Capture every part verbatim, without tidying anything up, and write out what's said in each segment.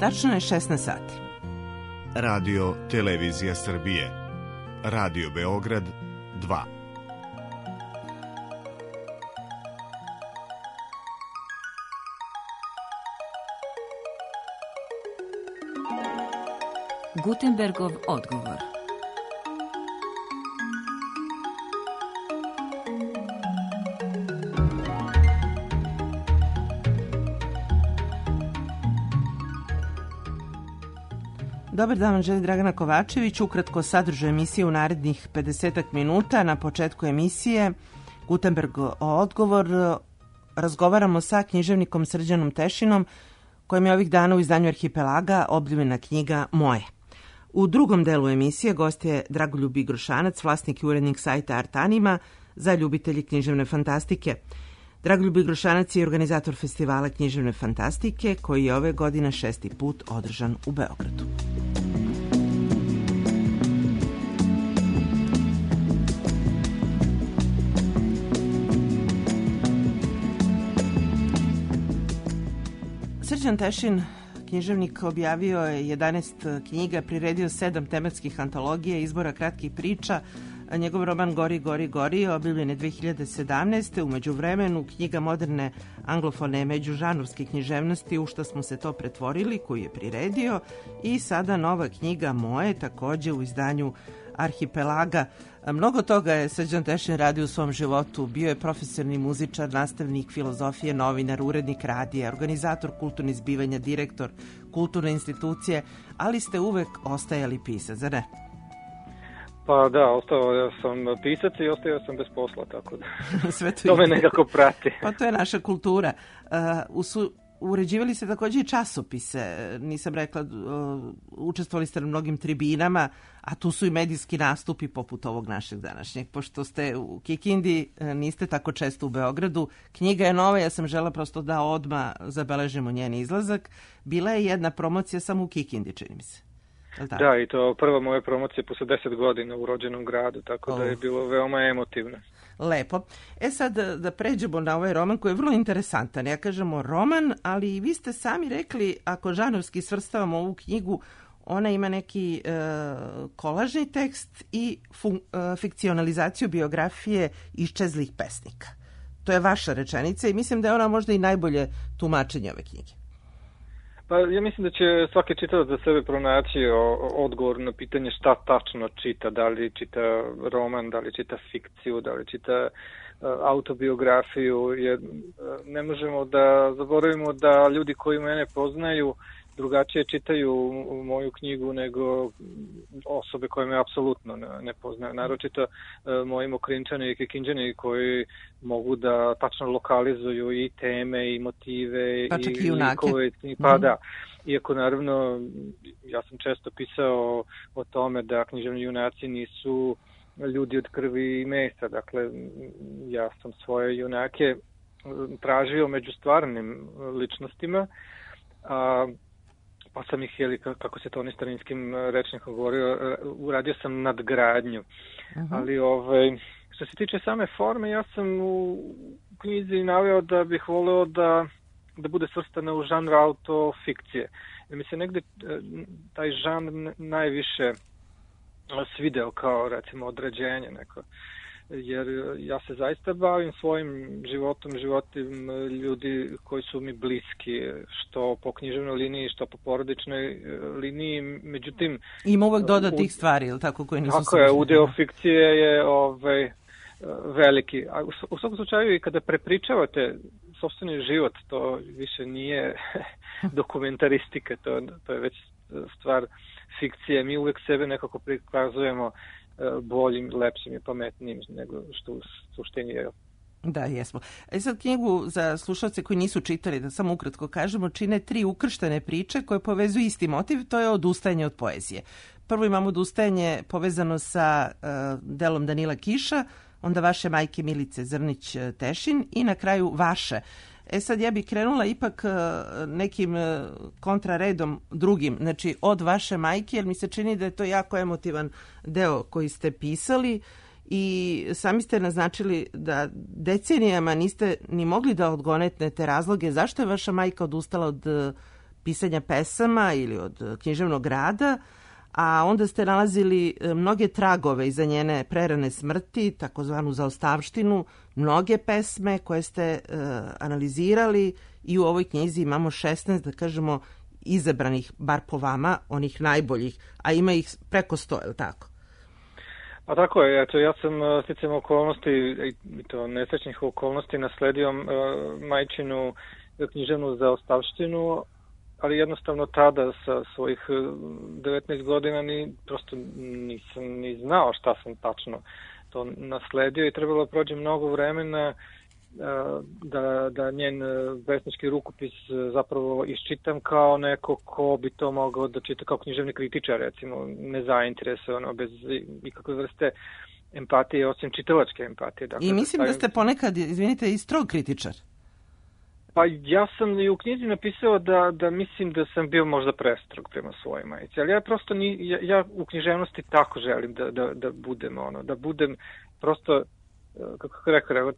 Tačno je šesnaest sati. Radio Televizija Srbije. Radio Beograd dva. Gutenbergov odgovor. Dobar dan vam želi Dragana Kovačević. Ukratko sadržaj emisije u narednih pedesetak minuta. Na početku emisije Gutenberg odgovor. Razgovaramo sa književnikom Srđanom Tešinom, kojem je ovih dana u izdanju Arhipelaga objavljena knjiga Moje. U drugom delu emisije gost je Dragoljub Igrošanac, vlasnik i urednik sajta Artanima za ljubitelji književne fantastike. Dragoljub Igrošanac je organizator festivala književne fantastike koji je ove godine šesti put održan u Beogradu. Srđan Tešin, književnik, objavio je jedanaest knjiga, priredio sedam tematskih antologija, izbora kratkih priča. Njegov roman Gori, gori, gori objavljen je dve hiljade sedamnaeste. U međuvremenu knjiga moderne anglofone međužanrovske književnosti U šta smo se to pretvorili, koju je priredio, i sada nova knjiga Moje, takođe u izdanju Arhipelaga. Mnogo toga je Srđan Tešin radio u svom životu. Bio je profesionalni muzičar, nastavnik filozofije, novinar, urednik radija, organizator kulturnih zbivanja, direktor kulturne institucije, ali ste uvek ostajali pisac, zar ne? Pa da, ostao sam pisac i ostao sam bez posla, tako da Sve to, to me nekako prati. Pa to je naša kultura. Uh, usu, uređivali ste takođe i časopise, nisam rekla, uh, učestvovali ste na mnogim tribinama, a tu su i medijski nastupi poput ovog našeg današnjeg. Pošto ste u Kikindi, niste tako često u Beogradu. Knjiga je nova, ja sam žela prosto da odmah zabeležimo njen izlazak. Bila je jedna promocija samo u Kikindi, čini mi se. Da, i to prva moja promocija posle deset godina u rođenom gradu, tako oh. da je bilo veoma emotivno. Lepo. E sad da, da pređemo na ovaj roman koji je vrlo interesantan. Ja kažemo roman, ali vi ste sami rekli, ako žanrovski svrstavamo ovu knjigu, ona ima neki e, kolažni tekst i fun, e, fikcionalizaciju biografije iščezlih pesnika. To je vaša rečenica i mislim da je ona možda i najbolje tumačenje ove knjige. Pa ja mislim da će svaki čitalac za sebe pronaći odgovor na pitanje šta tačno čita, da li čita roman, da li čita fikciju, da li čita autobiografiju, jer ne možemo da zaboravimo da ljudi koji mene poznaju drugačije čitaju moju knjigu nego osobe koje me apsolutno ne poznaju. Naročito moji Mokrinčani i Kikinđani koji mogu da tačno lokalizuju i teme i motive pa i, i junake. Pa mm. da, iako naravno ja sam često pisao o tome da književni junaci nisu ljudi od krvi i mesa. Dakle, ja sam svoje junake tražio među stvarnim ličnostima, a pa sam ih, jeli, kako se to oni starinskim rečnikom govorio, uradio sam nadgradnju. Uh-huh. Ali ovaj, što se tiče same forme, ja sam u knjizi naveo da bih voleo da, da bude svrstana u žanr autofikcije. Jer mi se negde taj žanr najviše svideo kao, recimo, određenje neko. Jer ja se zaista bavim svojim životom, životom ljudi koji su mi bliski, što po književnoj liniji, što po porodičnoj liniji. Međutim, ima uvek doda tih stvari, ili tako, koje nisu tako je, udeo fikcije je ovaj, veliki. A u, u svakom slučaju i kada prepričavate sopstveni život, to više nije dokumentaristika, to, to je već stvar fikcije. Mi uvek sebe nekako prikazujemo boljim, lepšim i pametnijim nego što u suštini je. Da, jesmo. E sad, knjigu za slušalce koji nisu čitali, da samo ukratko kažemo, čine tri ukrštene priče koje povezuju isti motiv, to je odustajanje od poezije. Prvo imamo odustajanje povezano sa uh, delom Danila Kiša, onda vaše majke Milice Zrnić Tešin i na kraju vaše. E sad ja bih krenula ipak nekim kontraredom drugim, znači od vaše majke, jer mi se čini da je to jako emotivan deo koji ste pisali i sami ste naznačili da decenijama niste ni mogli da odgonetnete razloge zašto je vaša majka odustala od pisanja pesama ili od književnog rada, a onda ste nalazili mnoge tragove iza njene prerane smrti, takozvanu zaostavštinu, mnoge pesme koje ste uh, analizirali i u ovoj knjizi imamo šesnaest, da kažemo, izabranih, bar po vama, onih najboljih, a ima ih preko sto, je li tako? Pa tako je, eto, ja sam sticajem okolnosti, i to nesrećnih okolnosti, nasledio uh, majčinu književnu zaostavštinu, ali jednostavno tada sa svojih devetnaest godina ni, prosto nisam ni znao šta sam tačno to nasledio i trebalo prođe mnogo vremena da, da njen pesnički rukopis zapravo iščitam kao neko ko bi to mogao da čita kao književni kritičar, recimo, nezainteresovano, bez ikakve vrste empatije, osim čitalačke empatije. Dakle, I mislim da, stavim... da ste ponekad, izvinite, i strog kritičar. Pa ja sam i u knjizi napisao da, da mislim da sam bio možda prestrog prema svojoj majici, ali ja prosto ni, ja, ja u književnosti tako želim da, da, da budem ono, da budem prosto, kako rekao,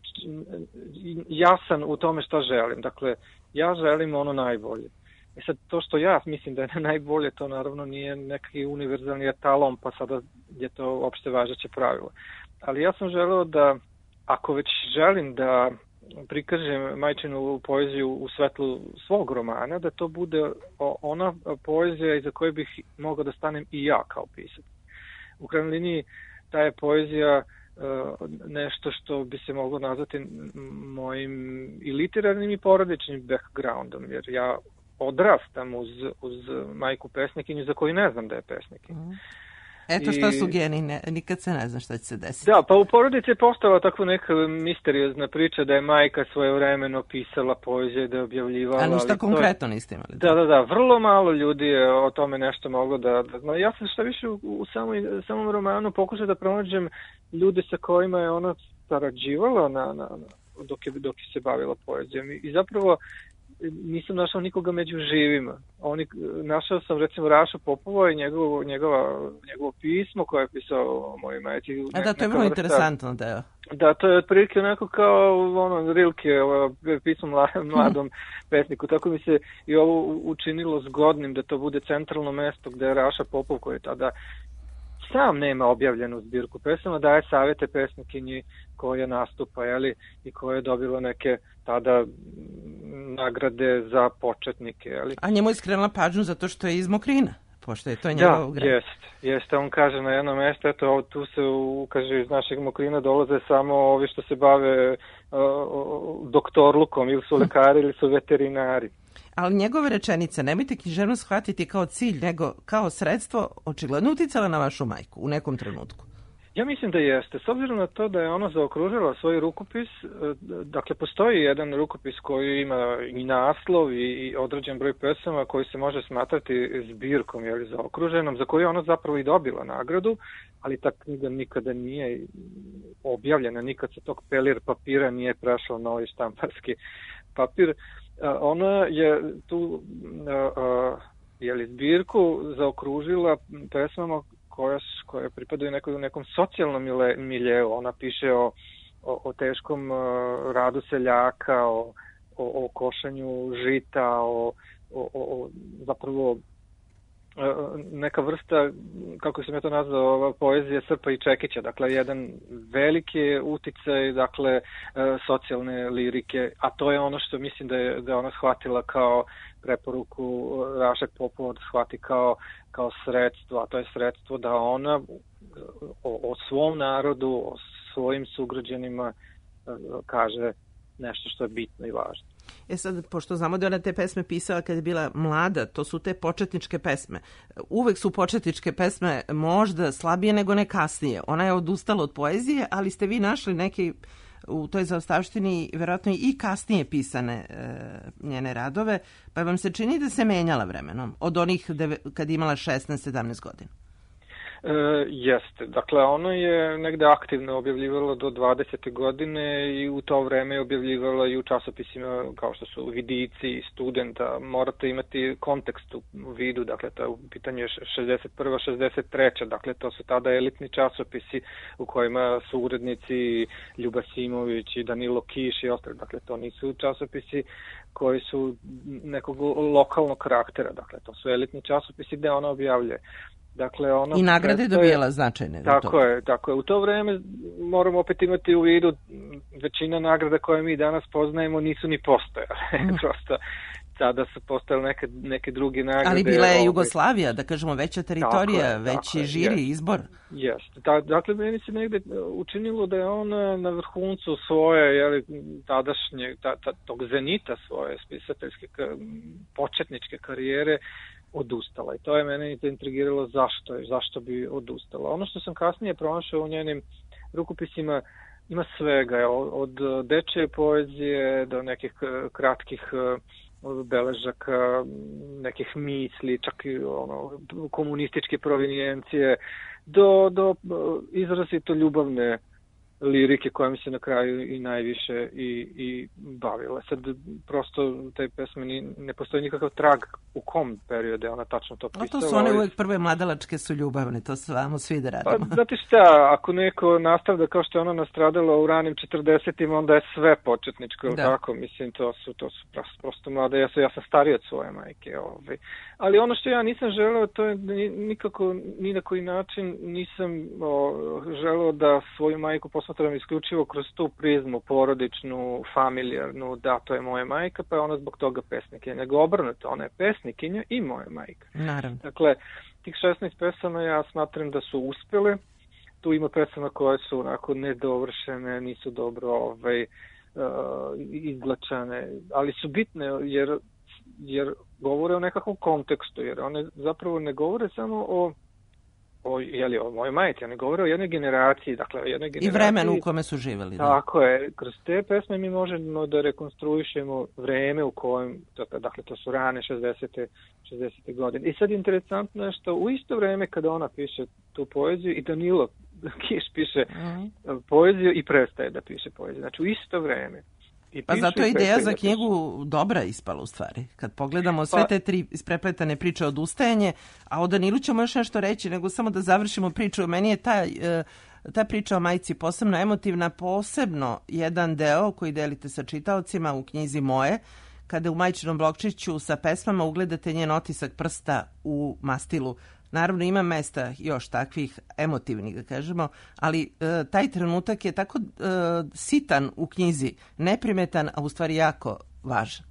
jasan u tome šta želim. Dakle, ja želim ono najbolje. I sad to što ja mislim da je najbolje, to naravno nije neki univerzalni etalon, pa sada je to opšte važeće pravilo. Ali ja sam želeo da, ako već želim da prikažem majčinu poeziju u svetlu svog romana, da to bude ona poezija iza koje bih mogao da stanem i ja kao pisac. U krajnjoj liniji ta je poezija nešto što bi se moglo nazvati mojim i literarnim i porodičnim backgroundom, jer ja odrastam uz, uz majku pesnikinju za koju ne znam da je pesnikinja. Mm. Eto šta su geni, ne, nikad se ne zna šta će se desiti. Da, pa u porodici je postala takva neka misteriozna priča da je majka svojevremeno pisala poezije, da je objavljivala. A ništa konkretno je... niste imali? Da, da, da, vrlo malo ljudi je o tome nešto moglo da, da zna. Ja sam šta više u, u samoj, samom romanu pokušao da pronađem ljude sa kojima je ona sarađivala na, na, na, dok, je, dok je se bavila poezijom. I, i zapravo nisam našao nikoga među živima. Oni, našao sam recimo Rašu Popova i njegovo, njegova, njegovo pismo koje je pisao o mojoj majci. A da, to je vrlo interesantno deo. Da, to je otprilike onako kao ono, Rilke, ovo, pismo mladom pesniku. Tako mi se i ovo učinilo zgodnim da to bude centralno mesto gde je Raša Popov, koji je tada sam nema objavljenu zbirku pesama, daje savjete pesnikinji koja nastupa, jeli, i koja je dobila neke tada nagrade za početnike. Jeli. A njemu je skrenula pažnju zato što je iz Mokrina, pošto je to njegov grad. Da, jest, jest. On kaže na jedno mesto, eto, tu se, kaže, iz našeg Mokrina dolaze samo ovi što se bave uh, doktorlukom, ili su lekari, ili su veterinari. Ali njegove rečenice, nemojte književnost shvatiti kao cilj, nego kao sredstvo, očigledno uticala na vašu majku u nekom trenutku. Ja mislim da jeste. S obzirom na to da je ona zaokružila svoj rukopis, dakle, postoji jedan rukopis koji ima i naslov i određen broj pesama koji se može smatrati zbirkom, jel, zaokruženom, za koju je ona zapravo i dobila nagradu, ali ta knjiga nikada nije objavljena, nikad se tog pelir papira nije prešao na ovaj štamparski papir. Ona je tu jeli, zbirku zaokružila pesmama koja, koja pripadaju nekom, nekom socijalnom miljeu. Ona piše o, o, o teškom radu seljaka, o, o, o košanju žita, o, o, o zapravo neka vrsta, kako sam ja to nazvao, poezije Srpa i Čekića, dakle jedan veliki uticaj, dakle socijalne lirike, a to je ono što mislim da je, da je ona shvatila kao preporuku Raše Popova, da shvati kao, kao sredstvo, a to je sredstvo da ona o, o svom narodu, o svojim sugrađanima kaže nešto što je bitno i važno. E sad, pošto znamo da je ona te pesme pisala kad je bila mlada, to su te početničke pesme. Uvek su početničke pesme možda slabije nego ne kasnije. Ona je odustala od poezije, ali ste vi našli neke u toj zaostavštini verovatno i kasnije pisane e, njene radove, pa vam se čini da se menjala vremenom od onih deve, kad je imala šesnaest sedamnaest godina? E, jeste. Dakle, ono je negde aktivno objavljivalo do dvadesete godine i u to vreme je objavljivalo i u časopisima kao što su Vidici, Studenta. Morate imati kontekst u vidu, dakle, to je u pitanju šezdeset prva šezdeset treća Dakle, to su tada elitni časopisi u kojima su urednici Ljuba Simović i Danilo Kiš i ostali. Dakle, to nisu časopisi koji su nekog lokalnog karaktera. Dakle, to su elitni časopisi gde ona objavljuje. Dakle, ono I nagrade je dobijala značajne. Tako je, tako je. U to vreme moramo opet imati u vidu većina nagrada koje mi danas poznajemo nisu ni postojale. Mm. Prosto tada su postojale neke, neke druge nagrade. Ali bila je Jugoslavija, da kažemo, veća teritorija, veći žiri, jest, izbor. Jeste. Da, dakle, meni se negde učinilo da je on na vrhuncu svoje, jeli, tadašnje, ta, ta, tog zenita svoje spisateljske početničke karijere odustala. I to je mene intrigiralo zašto je, zašto bi odustala. Ono što sam kasnije pronašao u njenim rukopisima ima svega, od dečje poezije do nekih kratkih beležaka, nekih misli, čak i ono, komunističke provinijencije, do, do izrazito ljubavne lirike koja mi se na kraju i najviše i, i bavila. Sad prosto te pesme ni, ne postoji nikakav trag u kom periodu je ona tačno to pisala. A to su one uvek prve mladalačke su ljubavne, to svamo svi da radimo. Pa, znate šta, ako neko nastavlja kao što je ona nastradala u ranim četrdesetim onda je sve početničko, da. Tako, mislim, to su, to su prosto, prosto mlade, ja sam, ja sam stariji od svoje majke. Ovaj. Ali ono što ja nisam želeo, to je nikako, ni na koji način nisam o, želeo da svoju majku posmatram isključivo kroz tu prizmu porodičnu, familijarnu, da, to je moja majka, pa je ona zbog toga pesnikinja. Nego obrnuto, ona je pesnikinja i moja majka. Naravno. Dakle, tih šesnaest pesama ja smatram da su uspjele. Tu ima pesama koje su onako nedovršene, nisu dobro ovaj, uh, izglačane, ali su bitne jer, jer govore o nekakvom kontekstu, jer one zapravo ne govore samo o o, jeli, o mojoj majci, oni govore o jednoj generaciji, dakle o jednoj generaciji. I vremenu u kome su živjeli. Da. Tako je, kroz te pesme mi možemo da rekonstruišemo vreme u kojem, dakle to su rane šezdesete godine. I sad interesantno je što u isto vreme kada ona piše tu poeziju i Danilo Kiš piše mm-hmm. poeziju i prestaje da piše poeziju. Znači u isto vreme. I pa zato je ideja za knjigu dobra ispala u stvari. Kad pogledamo sve pa, te tri isprepletane priče od ustajanje, a o Danilu ćemo još nešto reći, nego samo da završimo priču. Meni je ta, ta priča o majci posebno emotivna, posebno jedan deo koji delite sa čitaocima u knjizi moje, kada u majčinom blokčiću sa pesmama ugledate njen otisak prsta u mastilu. Naravno ima mesta još takvih emotivnih, da kažemo, ali e, taj trenutak je tako e, sitan u knjizi, neprimetan, a u stvari jako važan.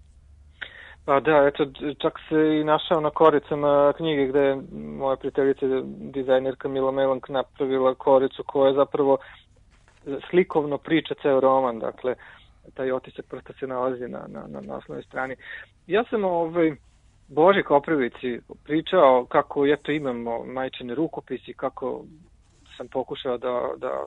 Pa da, eto, čak se i našao na koricama knjige gde je moja prijateljica, dizajnerka Mila Melank, napravila koricu koja zapravo slikovno priča ceo roman, dakle, taj otisak prsta se nalazi na, na, na naslovnoj strani. Ja sam ovaj... Boži Koprivici pričao kako eto imamo majčine rukopisi, kako sam pokušao da, da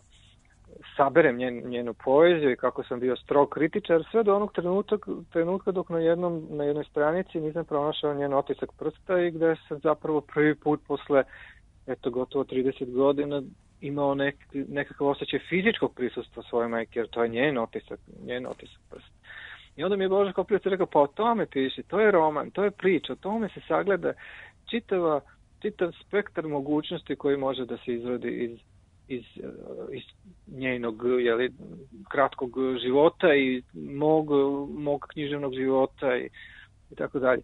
saberem njen, njenu poeziju i kako sam bio strog kritičar, sve do onog trenutka, trenutka dok na, jednom, na jednoj stranici nisam pronašao njen otisak prsta i gde sam zapravo prvi put posle eto gotovo trideset godina imao nek, nekakav osjećaj fizičkog prisustva svoje majke, jer to je njen otisak, njen otisak prsta. I onda mi je Boža Koprivica rekao, pa o tome piši, to je roman, to je priča, o tome se sagleda čitava, čitav spektar mogućnosti koji može da se izrodi iz, iz, iz njenog jeli, kratkog života i mog, mog književnog života i, i tako dalje.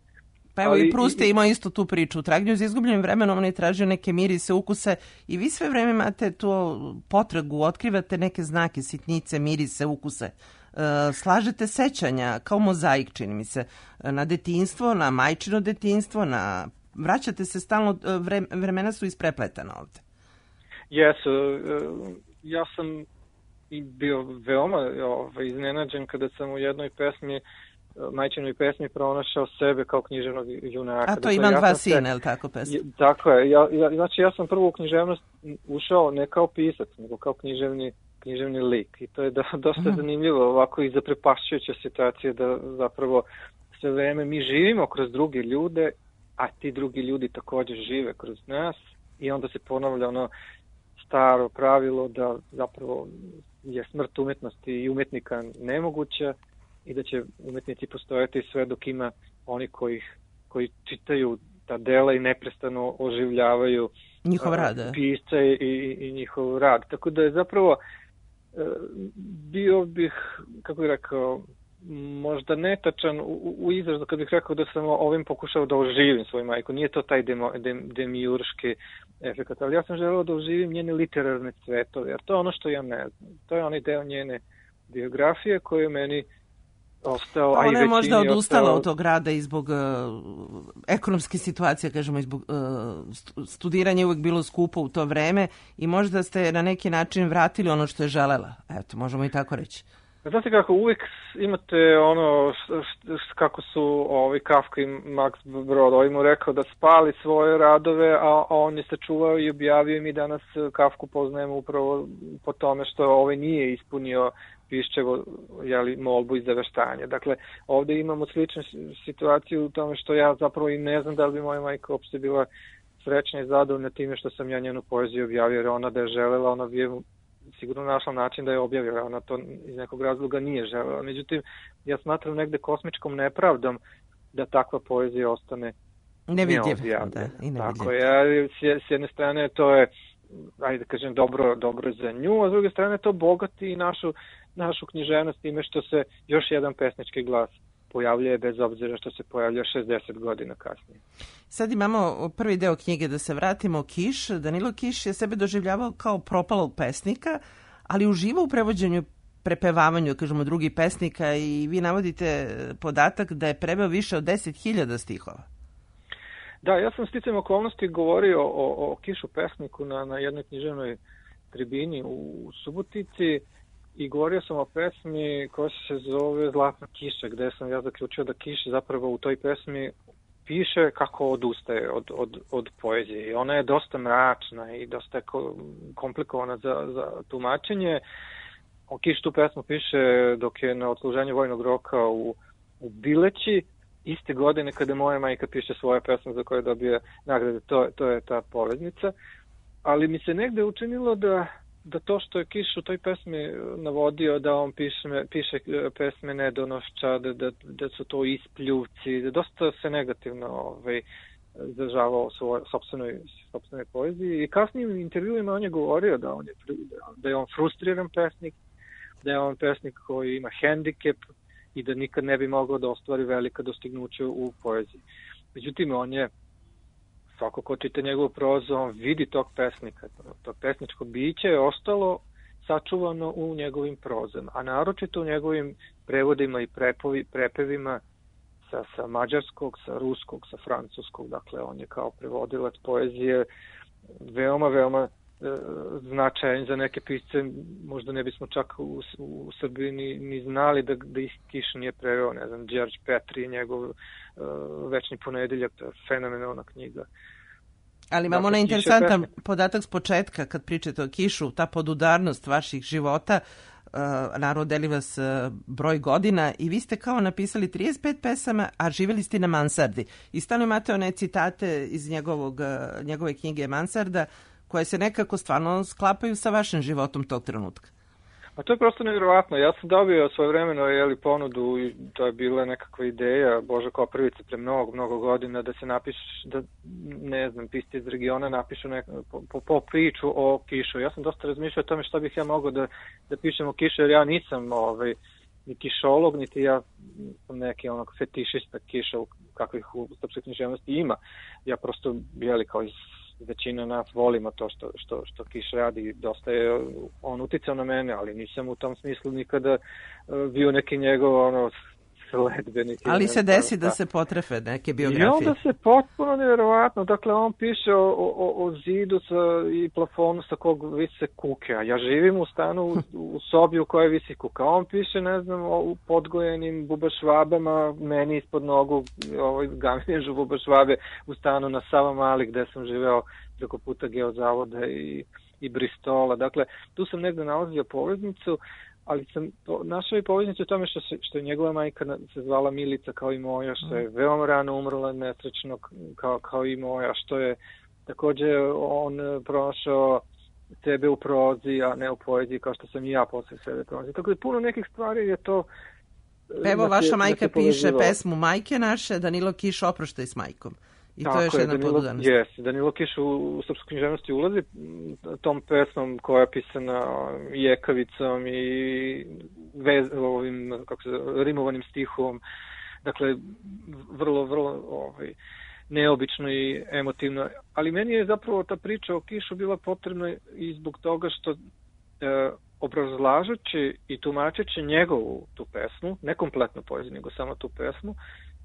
Pa evo ali, i Proust je imao isto tu priču. U Tragnju za izgubljenim vremenom on je tražio neke mirise, ukuse i vi sve vreme imate tu potragu, otkrivate neke znake, sitnice, mirise, ukuse. Slažete sećanja kao mozaik, čini mi se, na detinjstvo, na majčino detinjstvo, na... vraćate se stalno, vre... vremena su isprepletana ovde. Jesu, ja sam bio veoma ovaj, iznenađen kada sam u jednoj pesmi, majčinoj pesmi, pronašao sebe kao književnog junaka. A to Imam ja dva sina, je li tako pesma? Tako je, ja, ja, znači ja sam prvo u književnost ušao ne kao pisac, nego kao književni književni lik i to je da, dosta mm. zanimljivo, ovako i zaprepašćujuća situacija da zapravo sve vreme mi živimo kroz druge ljude, a ti drugi ljudi također žive kroz nas i onda se ponavlja ono staro pravilo da zapravo je smrt umetnosti i umetnika nemoguća i da će umetnici postojati sve dok ima oni koji, koji čitaju ta dela i neprestano oživljavaju njihov rad, pisca i, i, i njihov rad. Tako da je zapravo bio bih, kako bih rekao, možda netačan u, u izrazu kad bih rekao da sam ovim pokušao da oživim svoju majku. Nije to taj demo, dem, demiurški efekt, ali ja sam želeo da oživim njene literarne cvetove, jer to je ono što ja ne znam. To je onaj deo njene biografije koji je meni ostao, pa a i ona je možda odustala ostao... od tog rada i zbog uh, ekonomske situacije, kažemo, i zbog uh, studiranja je uvek bilo skupo u to vreme i možda ste na neki način vratili ono što je želela. Eto, možemo i tako reći. Znate kako, uvijek imate ono, š, š, kako su ovi Kafka i Max Brod, ovaj mu rekao da spali svoje radove, a, a on je sačuvao i objavio i mi danas Kafku poznajemo upravo po tome što ovaj nije ispunio Piščevo, jeli, molbu i zaveštanje. Dakle, ovdje imamo sličnu situaciju u tome što ja zapravo i ne znam da li bi moja majka uopšte bila srećna i zadovoljna time što sam ja njenu poeziju objavio, jer ona da je želela, ona bi sigurno našla način da je objavila, ona to iz nekog razloga nije želela. Međutim, ja smatram negde kosmičkom nepravdom da takva poezija ostane neobjavljena. Da, tako je, s jedne strane to je, ajde da kažem, dobro, dobro za nju, a s druge strane to bogati i našu, našu književnost time što se još jedan pesnički glas pojavljuje bez obzira što se pojavlja šezdeset godina kasnije. Sad imamo prvi deo knjige, da se vratimo, Kiš. Danilo Kiš je sebe doživljavao kao propalog pesnika, ali uživa u prevođenju, prepevavanju, kažemo, drugih pesnika i vi navodite podatak da je preveo više od deset hiljada stihova. Da, ja sam sticajem okolnosti govorio o, o Kišu pesniku na, na jednoj književnoj tribini u Subotici i govorio sam o pesmi koja se zove Zlatna kiša, gde sam ja zaključio da Kiš zapravo u toj pesmi piše kako odustaje od, od, od poezije. I ona je dosta mračna i dosta komplikovana za, za tumačenje. O Kiš tu pesmu piše dok je na odsluženju vojnog roka u, u Bileći, iste godine kada moja majka piše svoje pesme za koje dobije nagrade. To, to je ta poveznica. Ali mi se negde učinilo da da to što je Kiš u toj pesmi navodio da on piše, piše pesme nedonošća, da, da, da su to ispljuvci, da dosta se negativno ovaj, izražavao o svojoj sopstvenoj, sopstvenoj poeziji. I kasnijim intervjuima on je govorio da, on je, da je on frustriran pesnik, da je on pesnik koji ima hendikep i da nikad ne bi mogao da ostvari velika dostignuća u poeziji. Međutim, on je svako ko čita njegovu prozu, on vidi tog pesnika. To pesničko biće je ostalo sačuvano u njegovim prozama, a naročito u njegovim prevodima i prepovi, prepevima sa, sa mađarskog, sa ruskog, sa francuskog. Dakle, on je kao prevodilac poezije veoma, veoma e, značajan za neke pisce. Možda ne bismo čak u, u Srbiji ni, ni znali da, da ih Kiš nije preveo. Ne znam, Đorđe Petri, njegov e, Večni ponedeljak, to je fenomenalna knjiga. Ali imamo dakle, na interesantan podatak s početka, kad pričate o Kišu, ta podudarnost vaših života, uh, naravno deli vas uh, broj godina i vi ste kao napisali trideset pet pesama, a živjeli ste na mansardi. I stalno imate one citate iz njegovog, uh, njegove knjige Mansarda, koje se nekako stvarno sklapaju sa vašim životom tog trenutka. Pa to je prosto nevjerovatno. Ja sam dobio svojevremeno jeli, ponudu i to je bila nekakva ideja Boža Koprivice pre mnogo, mnogo godina da se napiše, da ne znam, pisci iz regiona napišu nek, po, po, po priču o Kišu. Ja sam dosta razmišljao o tome što bih ja mogao da, da pišem o Kišu, jer ja nisam ovaj, ni kišolog, niti ja sam neki onog fetišista Kiša kakvih u srpskoj književnosti ima. Ja prosto, jeli, kao iz većina nas volimo to što, što, što Kiš radi, dosta je on uticao na mene, ali nisam u tom smislu nikada bio neki njegov ono, sledbenik. Ali se desi da se potrefe neke biografije. I onda se potpuno nevjerovatno, dakle on piše o, o, o zidu sa, i plafonu sa kog vise kuke, a ja živim u stanu u, u sobi u kojoj visi kuka. On piše, ne znam, o podgojenim bubašvabama, meni ispod nogu ovaj, gaminježu bubašvabe u stanu na Savamali gde sam živeo preko puta Geozavoda i, i Bristola. Dakle, tu sam negde nalazio poveznicu, ali sam po, našao i poveznicu u tome što, se, što je njegova majka se zvala Milica kao i moja, što je veoma rano umrla nesrećno kao, kao i moja, što je takođe on pronašao sebe u prozi, a ne u poeziji, kao što sam i ja posle sebe prozi. Tako da puno nekih stvari je to... Evo, vaša majka piše pesmu Majke naše, Danilo Kiš, Oproštaj s majkom. I to je još jedna podudanost. Jes, Danilo Kiš u, u srpsku književnosti ulazi tom pesmom koja je pisana jekavicom i vez, ovim, kako se, rimovanim stihom. Dakle, vrlo, vrlo ovaj, neobično i emotivno. Ali meni je zapravo ta priča o Kišu bila potrebna i zbog toga što e, obrazlažući i tumačeći njegovu tu pesmu, ne kompletnu poeziju, nego samo tu pesmu,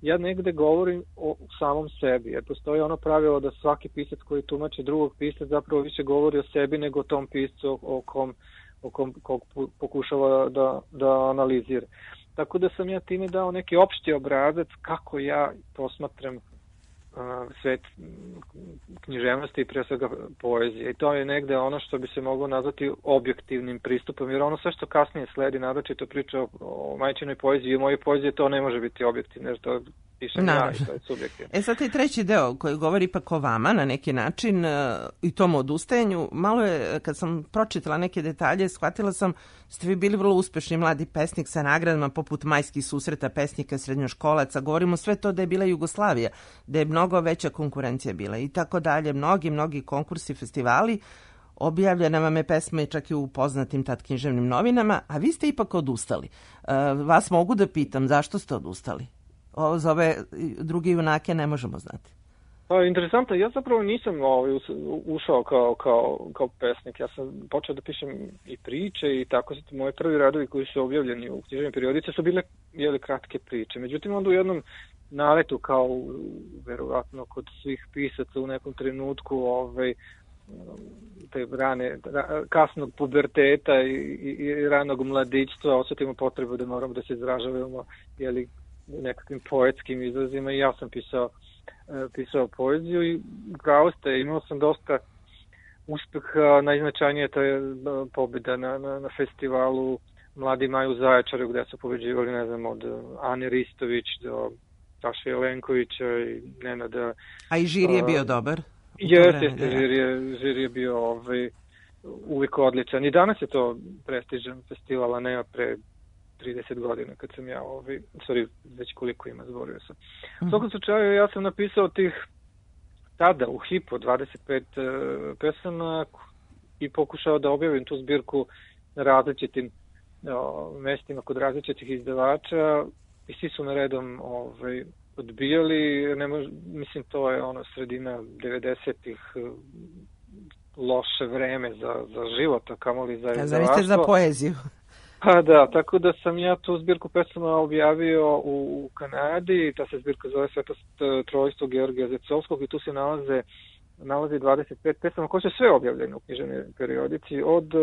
ja negde govorim o samom sebi, jer postoji ono pravilo da svaki pisac koji tumači drugog pisca zapravo više govori o sebi nego o tom piscu o kom, o kom kog pokušava da, da analizira. Tako da sam ja time dao neki opšti obrazac kako ja posmatram svet književnosti i pre svega poezije. I to je negde ono što bi se moglo nazvati objektivnim pristupom, jer ono sve što kasnije sledi, naročito priča o, o majčinoj poeziji i o mojoj poeziji, to ne može biti objektivno, jer to pišem ja i to je subjektivno. E sad taj treći deo koji govori ipak o vama na neki način i tom odustajanju, malo je, kad sam pročitala neke detalje, shvatila sam, ste vi bili vrlo uspešni mladi pesnik sa nagradama poput majskih susreta pesnika srednjoškolaca, govorimo sve to da je bila Jugoslavija, da je mnogo veća konkurencija bila i tako dalje, mnogi, mnogi konkursi, festivali, objavljena vam je pesma i čak i u poznatim tad književnim novinama, a vi ste ipak odustali. Vas mogu da pitam, zašto ste odustali? O, za ove druge junake ne možemo znati. Pa, interesantno, ja zapravo nisam ovaj, ušao kao, kao, kao pesnik. Ja sam počeo da pišem i priče i tako su moji prvi radovi koji su objavljeni u književnim periodice su bile jeli, kratke priče. Međutim, onda u jednom naletu, kao verovatno kod svih pisaca u nekom trenutku, ovaj, te rane, kasnog puberteta i, i, i ranog mladićstva, osetimo potrebu da moramo da se izražavamo jeli, nekakvim poetskim izrazima i ja sam pisao, pisao poeziju i pravo ste, imao sam dosta uspeha, najznačajnije to je pobjeda na, na, na festivalu Mladi maj u Zaječaru gde su pobeđivali, ne znam, od Ane Ristović do Saše Jelenkovića i Nenada. A i žiri je bio dobar? Jeste, jeste, žiri je, žiri je bio ovaj, uvijek odličan. I danas je to prestižan festival, a ne pre trideset godina kad sam ja, ovaj, sorry, već koliko ima, zborio sam. U svakom slučaju ja sam napisao tih tada u Hipo dvadeset pet uh, pesama i pokušao da objavim tu zbirku na različitim uh, mestima kod različitih izdavača i svi su me redom ovaj, odbijali. Ne mož, mislim, to je ono sredina devedesetih uh, loše vreme za, za život, a kamoli za izdavaštvo. A zaviste za poeziju. Pa da, tako da sam ja tu zbirku pesama objavio u, u Kanadi, ta se zbirka zove Svetost trojstvo Georgija Zecovskog i tu se nalaze, nalazi dvadeset pet pesama koje su sve objavljene u književnoj periodici, od,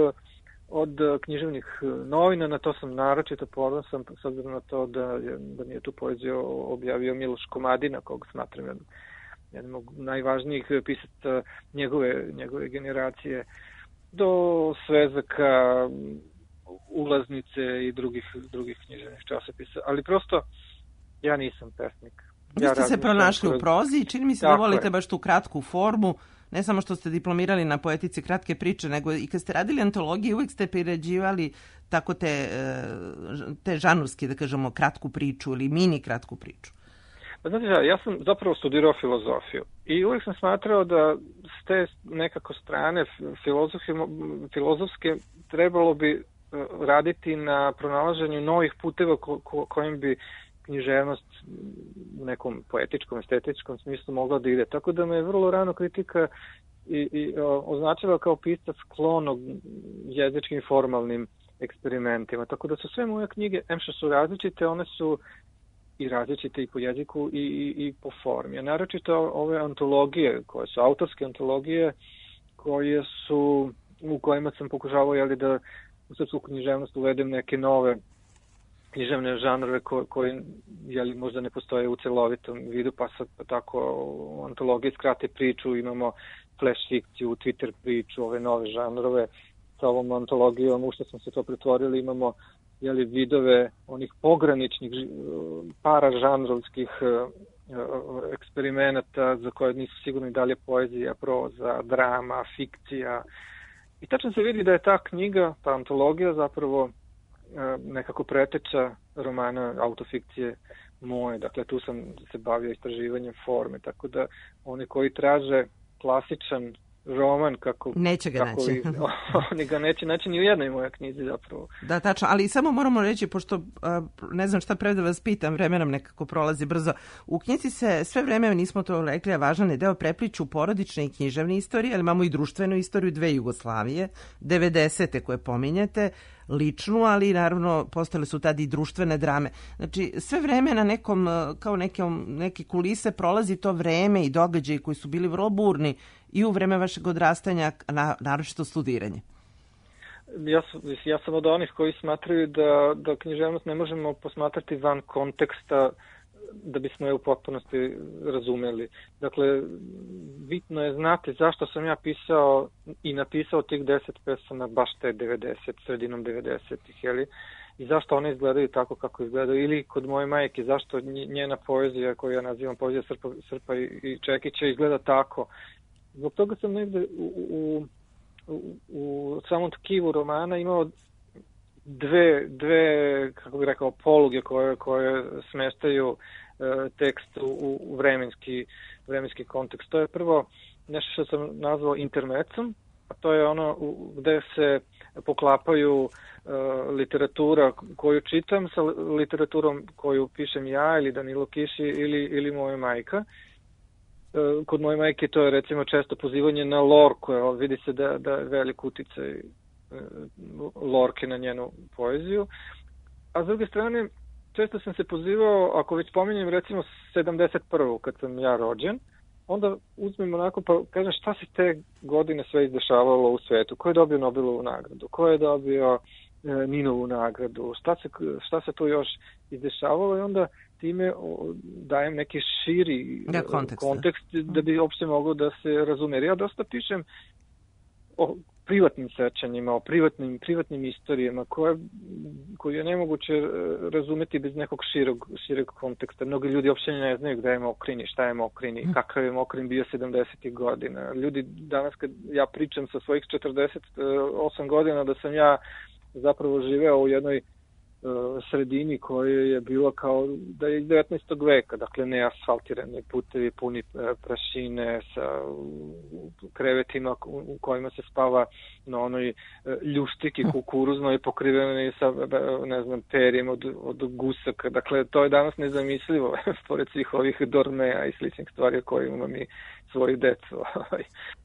od književnih novina, na to sam naročito ponosan, s obzirom na to da, da mi je tu poeziju objavio Miloš Komadina, kog smatram jednom, jednom od najvažnijih pisaca njegove, njegove generacije, do Svezaka, Ulaznice i drugih, drugih književnih časopisa. Ali prosto, ja nisam pesnik. Vi ste ja se pronašli kroz... u prozi i čini mi se da volite je. baš tu kratku formu, ne samo što ste diplomirali na poetici kratke priče, nego i kad ste radili antologije, uvijek ste priređivali tako te, te žanurski, da kažemo, kratku priču ili mini kratku priču. Pa znate, ja sam zapravo studirao filozofiju i uvijek sam smatrao da s te nekako strane filozofske trebalo bi raditi na pronalaženju novih puteva ko, ko, kojim bi književnost u nekom poetičkom, estetičkom smislu mogla da ide. Tako da me je vrlo rano kritika i, i o, označila kao pisca sklonog jezičkim formalnim eksperimentima. Tako da su sve moje knjige, em što su različite, one su i različite i po jeziku i, i, i po formi. A naročito ove antologije, koje su autorske antologije, koje su, u kojima sam pokušavao jeli, da u srpsku književnost uvedem neke nove književne žanrove ko, koji jeli, možda ne postoje u celovitom vidu, pa sad pa tako u antologiji skrate priču, imamo flash fikciju, Twitter priču, ove nove žanrove. Sa ovom antologijom, u što smo se to pretvorili, imamo jeli, vidove onih pograničnih paražanrovskih eksperimenata za koje nisu sigurni da li je poezija, proza, drama, fikcija. I tačno se vidi da je ta knjiga, ta antologija zapravo nekako preteča romana autofikcije moje. Dakle, tu sam se bavio istraživanjem forme, tako da oni koji traže klasičan roman kako... Neće ga kako naći. I, oni ga neće naći ni u jednoj mojoj knjizi zapravo. Da, tačno, ali samo moramo reći, pošto ne znam šta pre da vas pitam, vreme nam nekako prolazi brzo. U knjizi se sve vreme, nismo to rekli, a važan je deo, prepliču porodične i književne istorije, ali imamo i društvenu istoriju dve Jugoslavije, devedesete koje pominjete, ličnu, ali naravno postale su tada i društvene drame. Znači, sve vreme na nekom, kao nekom, neke kulise prolazi to vreme i događaji koji su bili vrlo burni i u vreme vašeg odrastanja, na, naročito studiranje. Ja, ja sam od onih koji smatraju da, da književnost ne možemo posmatrati van konteksta da bismo je u potpunosti razumeli. Dakle, bitno je znati zašto sam ja pisao i napisao tih deset pesama baš te devedeset, sredinom devedesetih, jeli? I zašto one izgledaju tako kako izgledaju. Ili kod moje majke, zašto njena poezija, koju ja nazivam poezija Srpa, Srpa i Čekića, izgleda tako. Zbog toga sam negde u, u, u, u samom tkivu romana imao dve, dve kako bih rekao, poluge koje, koje smeštaju e, tekst u, u vremenski, vremenski kontekst. To je prvo nešto što sam nazvao intermecom, a to je ono u, gde se poklapaju e, literatura koju čitam sa literaturom koju pišem ja ili Danilo Kiši ili, ili moja majka. E, kod moje majke to je recimo često pozivanje na Lorku, vidi se da, da je velik uticaj Lorke na njenu poeziju. A s druge strane, često sam se pozivao, ako već pominjem recimo sedamdeset prvu kad sam ja rođen, onda uzmem onako pa kažem šta se te godine sve izdešavalo u svetu, ko je dobio Nobelovu nagradu, ko je dobio e, Ninovu nagradu, šta se, šta se tu još izdešavalo i onda time dajem neki širi da, kontekst, kontekst da bi uopšte mogao da se razume. Jer ja dosta pišem o privatnim sećanjima, o privatnim, privatnim istorijama koje, koje je nemoguće razumeti bez nekog širog, širog konteksta. Mnogi ljudi uopšte ne znaju gde je Mokrini, šta je Mokrini, kakav je Mokrin bio sedamdesetih godina. Ljudi danas kad ja pričam sa svojih četrdeset osam godina da sam ja zapravo živeo u jednoj sredini koja je bila kao da je iz devetnaestog veka, dakle neasfaltirani putevi puni prašine sa krevetima u kojima se spava na onoj ljuštiki kukuruznoj pokriveni sa, ne znam, perjem od, od gusaka. Dakle, to je danas nezamislivo pored svih ovih dormeja i sličnih stvari o kojima mi svoju decu.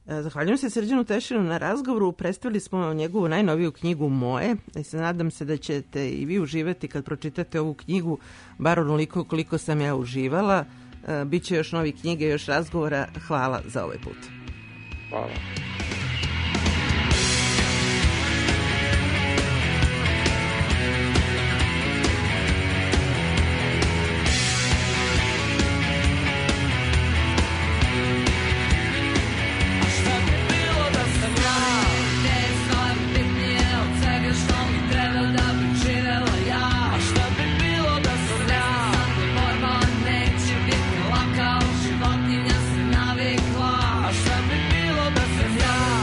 Zahvaljujem se Srđanu Tešinu na razgovoru. Predstavili smo njegovu najnoviju knjigu Moje. I se nadam se da ćete i vi uživati kad pročitate ovu knjigu, bar onoliko koliko sam ja uživala. Biće još novi knjige, još razgovora. Hvala za ovaj put. Hvala. Životinja se navikla, a šta bi bilo da sam ja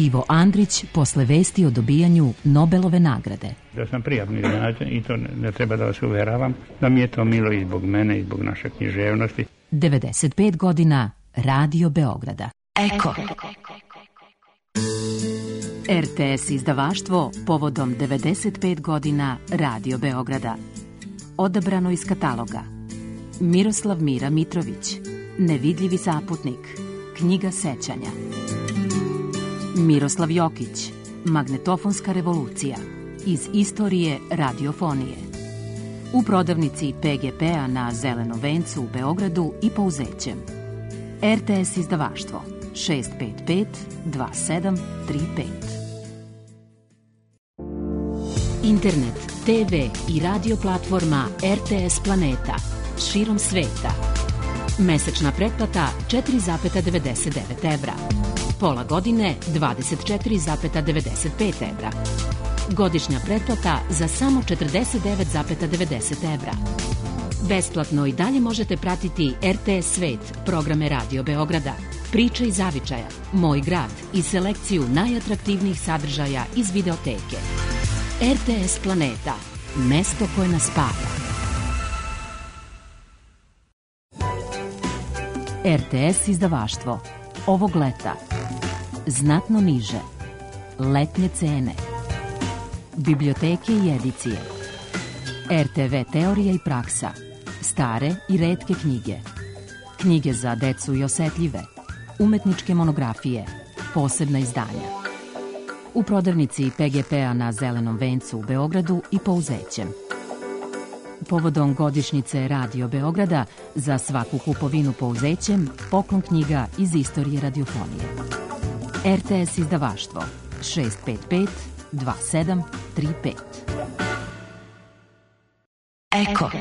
Ivo Andrić posle vesti o dobijanju Nobelove nagrade. Da sam prijatno iznenađen i to ne, ne treba da vas uveravam, da mi je to milo i zbog mene i zbog naše književnosti. devedeset pet godina Radio Beograda. Eko. R T S izdavaštvo povodom devedeset pet godina Radio Beograda. Odabrano iz kataloga: Miroslav Mira Mitrović, Nevidljivi zaputnik, knjiga sećanja. Miroslav Jokić, Magnetofonska revolucija, iz istorije radiofonije. U prodavnici P G P-a na Zelenom vencu u Beogradu i Pouzećem. R T S izdavaštvo šest pet pet dva sedam tri pet. Internet, T V i radio platforma R T S Planeta širom sveta. Mesečna pretplata četiri zarez devedeset devet evra. Pola godine dvadeset četiri zarez devedeset pet evra. Godišnja pretplata za samo četrdeset devet zarez devedeset evra. Besplatno i dalje možete pratiti R T S Svet, programe Radio Beograda, Priče iz zavičaja, Moj grad i selekciju najatraktivnijih sadržaja iz videoteke. R T S Planeta, mesto koje nas spaja. R T S izdavaštvo ovog leta znatno niže letnje cene, biblioteke i edicije, R T V teorija i praksa, stare i retke knjige, knjige za decu i osetljive, umetničke monografije, posebna izdanja. U prodavnici P G P-a na Zelenom vencu u Beogradu i Pouzećem. Povodom godišnjice Radio Beograda za svaku kupovinu Pouzećem poklon knjiga iz istorije radiofonije. R T S izdavaštvo šest pet pet dva sedam tri pet. Eko.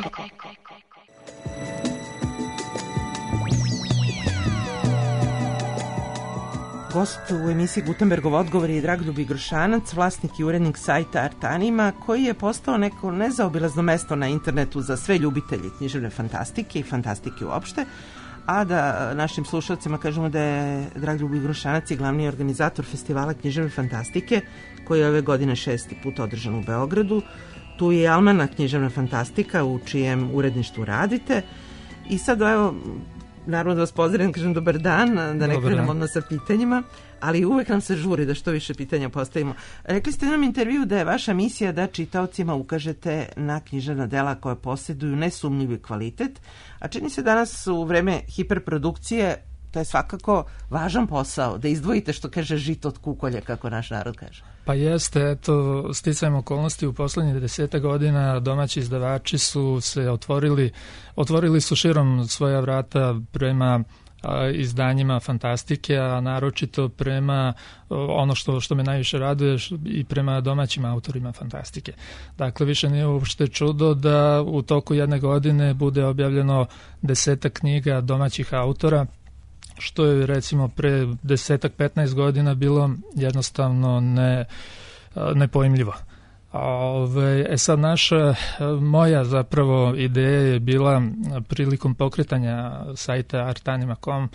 Gost u emisiji Gutenbergov odgovor je Dragoljub Grošanac, vlasnik i urednik sajta Artanima, koji je postao neko nezaobilazno mesto na internetu za sve ljubitelji književne fantastike i fantastike uopšte, a da našim slušalcima kažemo da je Dragoljub Grošanac i glavni organizator festivala književne fantastike, koji je ove godine šesti put održan u Beogradu. Tu je Almana književna fantastika u čijem uredništvu radite. I sad, evo, naravno da vas pozdravim, kažem dobar dan, da ne krenemo odmah sa pitanjima, ali uvek nam se žuri da što više pitanja postavimo. Rekli ste u jednom intervju da je vaša misija da čitaocima ukažete na književna dela koja posjeduju nesumnjivi kvalitet, a čini se danas u vreme hiperprodukcije to je svakako važan posao, da izdvojite, što kaže, žito od kukolja, kako naš narod kaže. Pa jeste, eto, sticajem okolnosti u poslednjih deseta godina domaći izdavači su se otvorili, otvorili su širom svoja vrata prema a, izdanjima fantastike, a naročito prema ono što, što me najviše raduje i prema domaćim autorima fantastike. Dakle, više nije uopšte čudo da u toku jedne godine bude objavljeno desetak knjiga domaćih autora, što je recimo pre desetak, petnaest godina bilo jednostavno ne, nepojmljivo. Ove, e sad naša, moja zapravo ideja je bila prilikom pokretanja sajta artanima tačka com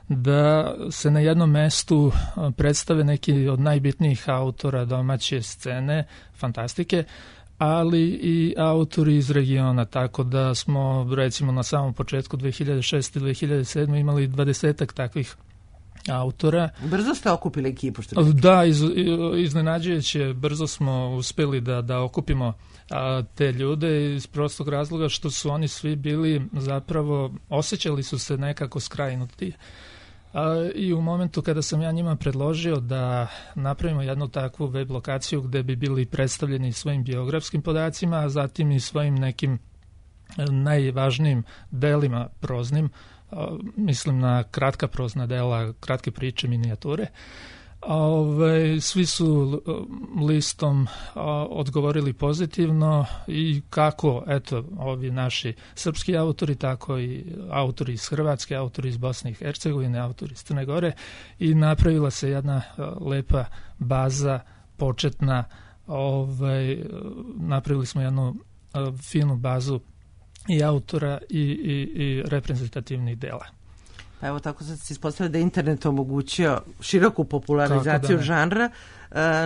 da se na jednom mestu predstave neki od najbitnijih autora domaće scene, fantastike, ali i autori iz regiona, tako da smo recimo na samom početku dve hiljade šeste. dve hiljade sedme. imali dvadesetak takvih autora. Brzo ste okupili ekipu, što Da, iz, iznenađujuće brzo smo uspeli da, da okupimo a, te ljude iz prostog razloga što su oni svi bili zapravo, osjećali su se nekako skrajnuti. A, I u momentu kada sam ja njima predložio da napravimo jednu takvu web lokaciju gde bi bili predstavljeni svojim biografskim podacima, a zatim i svojim nekim najvažnijim delima proznim, a, mislim na kratka prozna dela, kratke priče, minijature, Ove, svi su listom a, odgovorili pozitivno i kako, eto, ovi naši srpski autori, tako i autori iz Hrvatske, autori iz Bosne i Hercegovine, autori iz Crne Gore, i napravila se jedna a, lepa baza početna. Ove, napravili smo jednu a, finu bazu i autora i, i, i reprezentativnih dela. Pa evo tako sad se ispostavlja da je internet omogućio široku popularizaciju da žanra.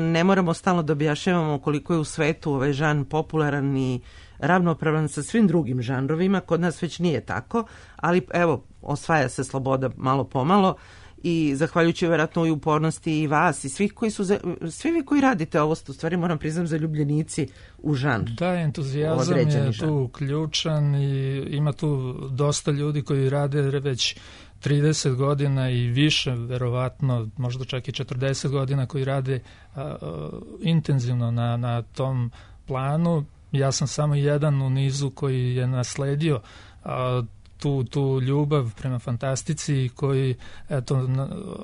Ne moramo stalno da objašnjavamo koliko je u svetu ovaj žanr popularan i ravnopravan sa svim drugim žanrovima. Kod nas već nije tako, ali evo, osvaja se sloboda malo pomalo i zahvaljujući vjerojatno i upornosti i vas i svih koji su, svi vi koji radite ovo, u stvari moram priznam zaljubljenici u žanr. Da, entuzijazam je tu ključan i ima tu dosta ljudi koji rade već trideset godina i više, verovatno, možda čak i četrdeset godina koji rade a, a, intenzivno na, na tom planu. Ja sam samo jedan u nizu koji je nasledio a, tu, tu ljubav prema fantastici i koji eto,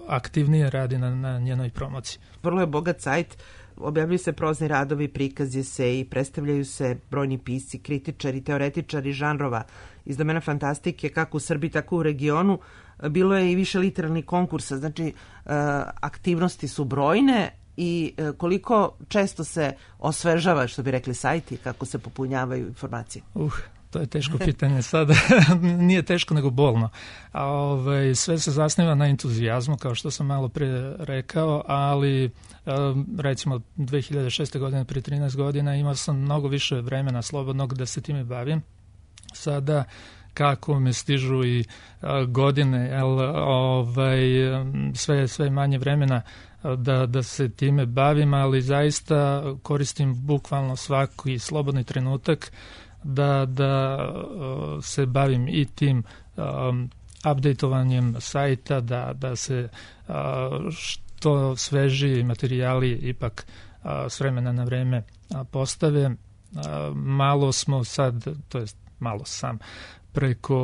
aktivnije radi na, na njenoj promociji. Vrlo je bogat sajt, objavljuju se prozni radovi, prikazi se i predstavljaju se brojni pisci, kritičari, teoretičari žanrova iz domena fantastike, kako u Srbiji, tako u regionu. Bilo je i više literarnih konkursa, znači aktivnosti su brojne i koliko često se osvežava, što bi rekli, sajti, kako se popunjavaju informacije? Uh, to je teško pitanje sada. Nije teško, nego bolno. A, ovaj, sve se zasniva na entuzijazmu, kao što sam malo pre rekao, ali recimo dve hiljade šeste. godine, prije trinaest godina, imao sam mnogo više vremena slobodnog da se time bavim. Sada kako me stižu i a, godine, jel, ovaj, sve, sve manje vremena da, da se time bavim, ali zaista koristim bukvalno svaki slobodni trenutak da, da uh, se bavim i tim um, updateovanjem sajta, da, da se uh, što sveži materijali ipak uh, s vremena na vreme uh, postave. Uh, malo smo sad, to jest malo sam, preko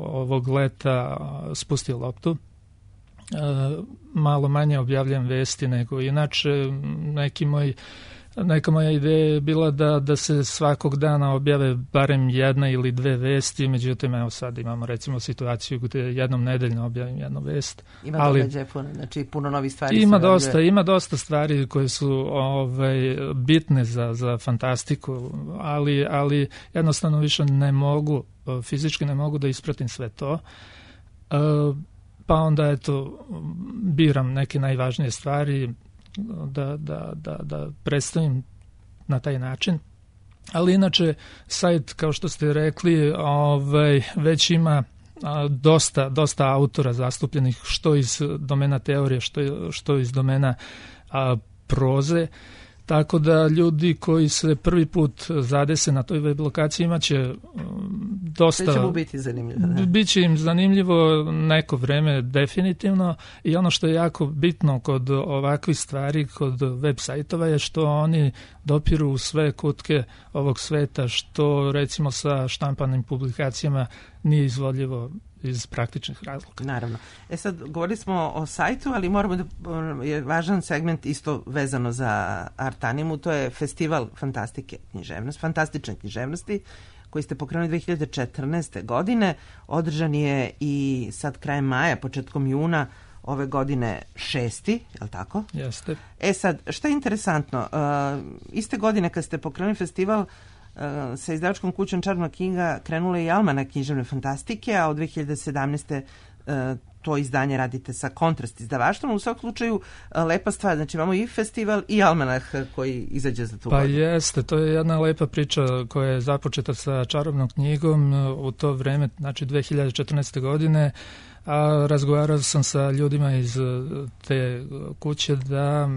ovog leta uh, spustio loptu. Uh, malo manje objavljam vesti nego inače. Neki moj Neka moja ideja je bila da, da se svakog dana objave barem jedna ili dve vesti, međutim evo sad imamo recimo situaciju gdje jednom nedeljno objavim jednu vest. Ima događaje puno, znači puno novih stvari. Ima dosta, ima dosta stvari koje su ovaj, bitne za, za fantastiku, ali, ali jednostavno više ne mogu, fizički ne mogu da ispratim sve to. Pa onda eto biram neke najvažnije stvari Da, da, da, da predstavim na taj način. Ali inače, sajt, kao što ste rekli, ovaj, već ima a, dosta, dosta autora zastupljenih, što iz domena teorije, što, što iz domena a, proze. Tako da ljudi koji se prvi put zadese na toj web lokaciji imaće dosta... Sve će mu biti zanimljivo. Da? Biće im zanimljivo neko vreme definitivno i ono što je jako bitno kod ovakvih stvari, kod web sajtova je što oni dopiru u sve kutke ovog sveta, što recimo sa štampanim publikacijama nije izvodljivo iz praktičnih razloga. Naravno. E sad, govorili smo o sajtu, ali moramo da je važan segment isto vezano za Artanimu, to je festival fantastike književnosti, fantastične književnosti, koji ste pokrenuli dve hiljade četrnaeste. godine. Održan je i sad krajem maja, početkom juna ove godine šesti, je li tako? Jeste. E sad, šta je interesantno? Uh, iste godine kad ste pokrenuli festival, Uh, sa izdavačkom kućom Čarobna knjiga krenula je i Almanak književne fantastike, a od dve hiljade sedamnaeste. Uh, to izdanje radite sa Kontrast izdavaštvom. U svakom slučaju uh, lepa stvar, znači imamo i festival i Almanak koji izađe za tu pa godinu. Pa jeste, to je jedna lepa priča koja je započeta sa Čarobnom knjigom u to vreme, znači dve hiljade četrnaeste. godine, a razgovarao sam sa ljudima iz te kuće da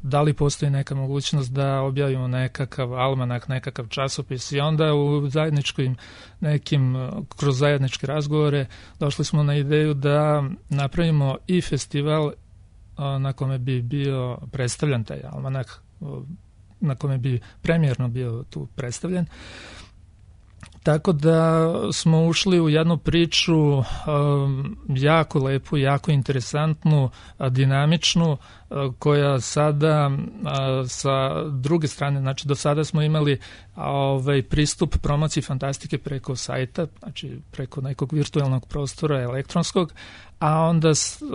da li postoji neka mogućnost da objavimo nekakav almanak, nekakav časopis i onda u zajedničkim nekim, kroz zajedničke razgovore došli smo na ideju da napravimo i festival na kome bi bio predstavljen taj almanak, na kome bi premijerno bio tu predstavljen. Tako da smo ušli u jednu priču um, jako lepu, jako interesantnu, dinamičnu, uh, koja sada uh, sa druge strane, znači do sada smo imali ovaj pristup promociji fantastike preko sajta, znači preko nekog virtualnog prostora elektronskog, a onda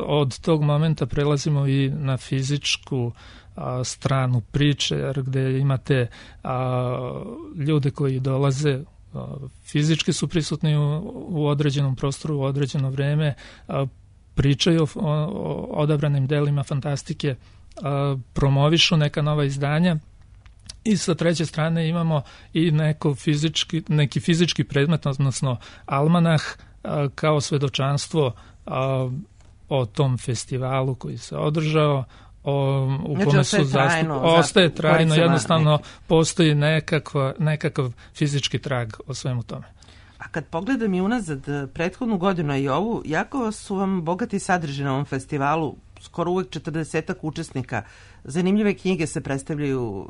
od tog momenta prelazimo i na fizičku a, stranu priče, jer gde imate a, ljude koji dolaze, fizički su prisutni u, u određenom prostoru, u određeno vreme, pričaju o, o odabranim delima fantastike, promovišu neka nova izdanja. I sa treće strane imamo i neko fizički, neki fizički predmet, odnosno almanah, kao svedočanstvo o tom festivalu koji se održao, o, u znači, kome su zastup... Ostaje trajno, jednostavno neki. Postoji nekakva, nekakav fizički trag o svemu tome. A kad pogledam i unazad prethodnu godinu i ovu, jako su vam bogati sadržaj na ovom festivalu, skoro uvek četrdesetak učesnika. Zanimljive knjige se predstavljaju,